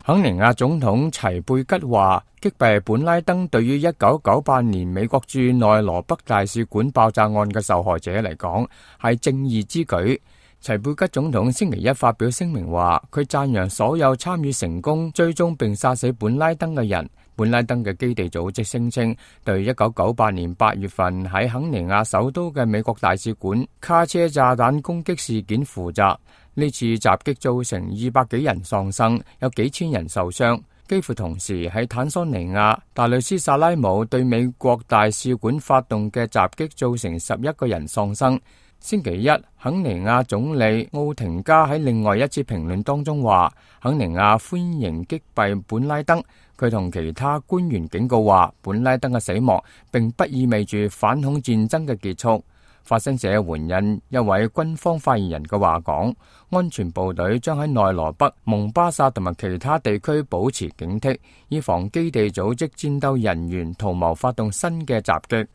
肯尼亞總統齊貝吉話，擊斃本拉登對於1998年美國駐內羅畢大使館爆炸案嘅受害者嚟講係正義之舉。齊貝吉總統星期一發表聲明話，佢讚揚所有參與成功追蹤並殺死本拉登嘅人。本拉登嘅基地組織聲稱對1998年8月份喺肯尼亞首都嘅美國大使館卡車炸彈攻擊事件負責。呢次襲擊造成200幾人喪生，有幾千人受傷。幾乎同時喺坦桑尼亞大律斯薩拉姆對美國大使館發動嘅襲擊造成11個人喪生。星期一，肯尼亞總理奧廷加喺另外一次評論當中話，肯尼亞歡迎擊斃本拉登。佢同其他官員警告話，本拉登嘅死亡並不意味住反恐戰爭嘅結束。法新社援引一位軍方發言人嘅話講，安全部隊將喺內羅畢、蒙巴薩同埋其他地區保持警惕，以防基地組織戰鬥人員圖謀發動新嘅襲擊。